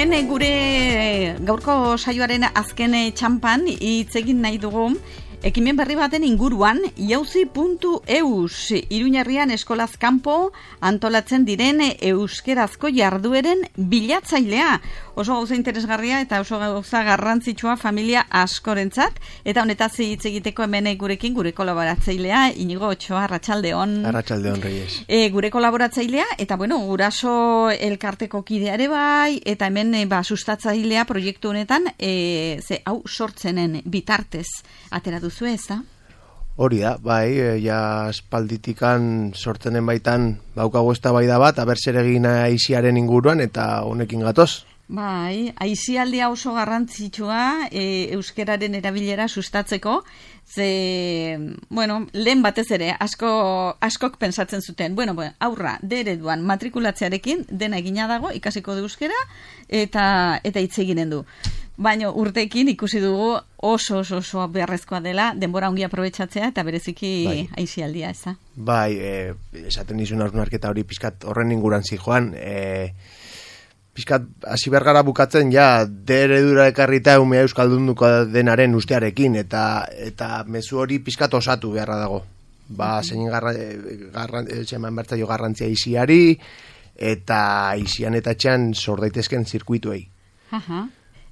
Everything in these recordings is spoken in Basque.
hemen gure gaurko saioaren azken txampan hitz egin nahi dugu ekimen berri baten inguruan, jauzi.eus, Iruñerrian eskolaz kanpo antolatzen diren euskerazko jardueren bilatzailea. Oso gauza interesgarria eta oso gauza garrantzitsua familia askorentzat, eta honetaz hitz egiteko hemen gurekin gure kolaboratzailea, Inigo Otxoa, arratsaldeon. Arratsaldeon, Reyes. Gure kolaboratzailea, eta guraso elkarteko kidea ere bai, eta hemen sustatzailea proiektu honetan, hau sortzenen bitartez atera duzu ez da? Hori da, bai, ja espalditikan sortzenen baitan daukago eztabaida bat, aber zer egin aiziaren inguruan eta honekin gatoz. Bai, aizialdia oso garrantzitsua euskeraren erabilera sustatzeko, lehen batez ere, askok pensatzen zuten, aurra, ereduan matrikulatzearekin dena egina dago, ikasiko du euskera, eta hitz eginen du. Baina urteekin ikusi dugu oso beharrezkoa dela, denbora ongi aprobetxatzea eta bereziki aizialdia, ez da? Bai, esaten dizun hausnarketa hori pizkat horren inguran zijoan, pizkat hasi bergara bukatzen ja eredura ekarrita umea euskaldunduko denaren ustearekin eta mezu hori pizkat osatu beharra dago. Zein eman bertzaio garrantzia aiziari eta aizian eta txan sor daitezken zirkuituei.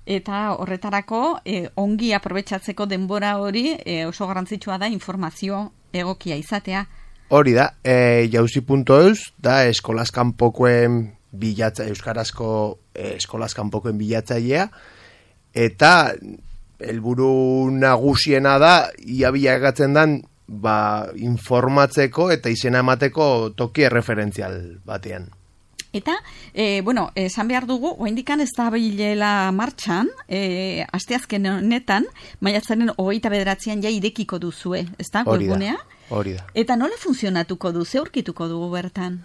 Eta horretarako ongi aprobetxatzeko denbora hori oso garrantzitsua da informazio egokia izatea. Hori da, jauzi.eus da eskolaz kanpokoen euskarazko eskolaz kanpokoen bilatzailea, eta helburu nagusiena da ia bilakatzen den informatzeko eta izena emateko toki erreferentzial batean. Eta, esan behar dugu, oraindikan ez da bilela martxan, asteazken honetan, maiatzaren 29an ja irekiko duzue, ez da, webgunea? Hori da. Eta nola funtzionatuko du, ze aurkituko dugu bertan?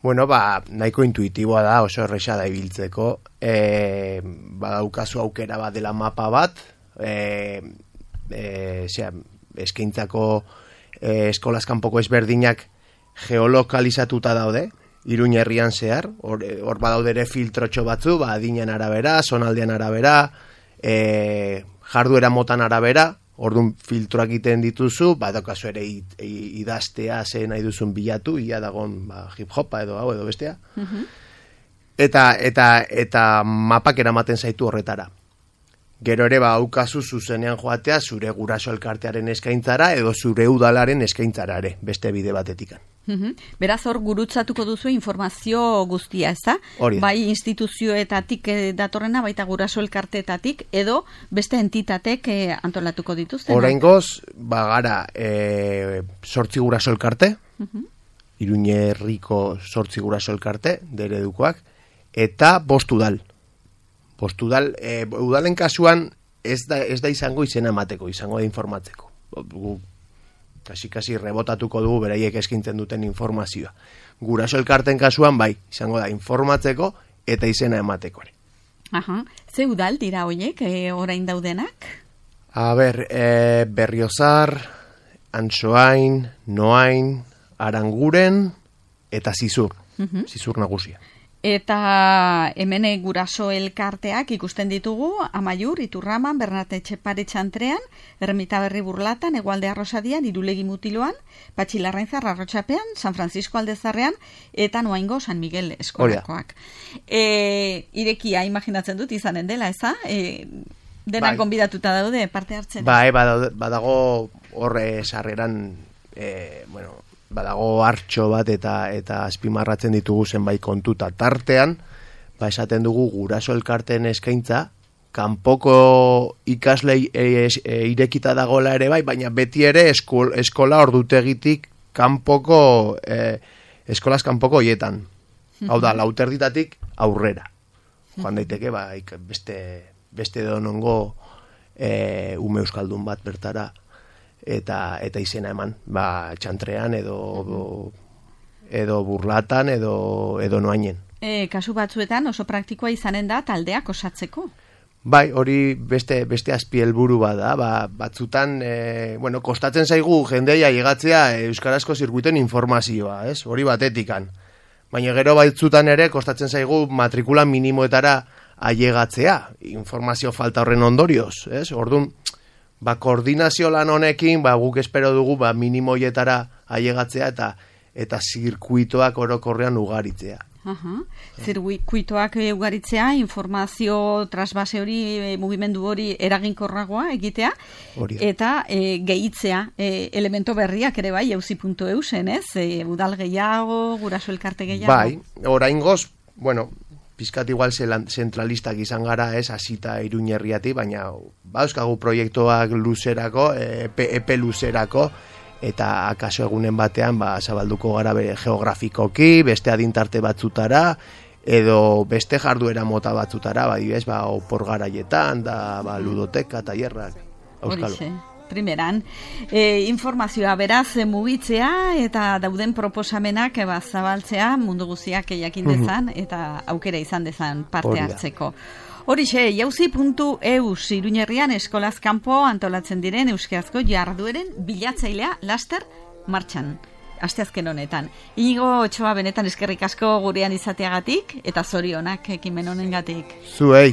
Nahiko intuitiboa da, oso erresa da ibiltzeko, badaukazu aukera bat dela mapa bat, eskaintzako eskolaz kanpoko ezberdinak geolokalizatuta daude, Iruñerrian zehar, hor badaude ere filtrotxo batzu, adinen arabera, zonaldean arabera, jarduera motan arabera, orduan filtroak egiten dituzu, badaukazu ere idaztea zen nahi duzun bilatu, ia dagon hip-hopa edo hau edo bestea, eta mapak eramaten zaitu horretara. Gero ere aukazu zuzenean joatea zure guraso elkartearen eskaintzara edo zure udalaren eskaintzara ere, beste bide batetikan. Beraz hor gurutzatuko duzu informazio guztia, ez da? Bai instituzioetatik datorrena, baita guraso elkarteetatik, edo beste entitatek antolatuko dituzten? Oraingoz, gara 8 guraso elkarte, Iruñerriko 8 guraso elkarte, eredukoak, eta 5 udal. Udalen kasuan ez da izango izena emateko, izango da informatzeko. Kasi rebotatuko dugu beraiek eskintzen duten informazioa. Guraso elkarten kasuan izango da informatzeko eta izena emateko ere. Ze udal dira horiek orain daudenak? Berriozar, Antsoain, Noain, Aranguren eta Zizur nagusia. Eta hemen guraso elkarteak ikusten ditugu, Amaiur, Iturraman, Bernate Etxepare Txantrean, Ermita Berri Burlatan, Hegoalde Arrosadian, Irulegi Mutiloan, Patxilarrainzar Arrotxapean, San Francisco Aldezarrean, eta Noaingo San Miguel eskolakoak. Irekia imaginatzen dut izanen dela, eza? Denak gonbidatuta daude, parte hartzen? Badago horre sarreran, badago hartxo bat eta azpimarratzen ditugu zenbait kontuta tartean, esaten dugu guraso elkarteen eskaintza, kanpoko ikaslei irekita dagoela ere baina beti ere eskola ordutegitik kanpoko, eskolaz kanpoko hoietan. Hau da, 4:00 aurrera. Joan daiteke, beste donongo ume euskaldun bat bertara, eta izena eman, Txantrean edo Burlatan edo Noainen. Kasu batzuetan oso praktikoa izanen da taldeak osatzeko. Hori beste azpi helburu bada, batzutan, kostatzen zaigu jendeia llegatzea euskarazko zirkuiten informazioa, ez? Hori batetikan. Baina gero batzutan ere kostatzen zaigu matrikula minimoetara ailegatzea, informazio falta horren ondorioz, ez? Orduan, koordinazio lan honekin, guk espero dugu, minimoietara ailegatzea eta zirkuitoak orokorrean ugaritzea. Zirkuitoak ugaritzea, informazio trasbase hori, mugimendu hori eraginkorragoa egitea, eta gehitzea elemento berriak ere bai, jauzi.eusen, ez? Udal gehiago, guraso elkarte gehiago. Bai, oraingoz, pizkat igual zentralistak izan gara, ez, hasita Iruñerriati, baina euskagu proiektuak luzerako, epe luzerako, eta akaso egunen batean zabalduko gara geografikoki, beste adintarte batzutara, edo beste jarduera mota batzutara, opor garaietan, ludoteka, tailerrak, auskalo. Primeran, informazioa beraz mugitzea eta dauden proposamenak zabaltzea mundu guztiak jakin dezan eta aukera izan dezan parte hartzeko. Horixe, jauzi.eus Iruñerrian eskolaz kanpo antolatzen diren euskarazko jardueren bilatzailea laster martxan. Asteazken honetan. Inigo Otxoa benetan eskerrik asko gurean izateagatik eta zorionak ekimen honengatik. Zuei.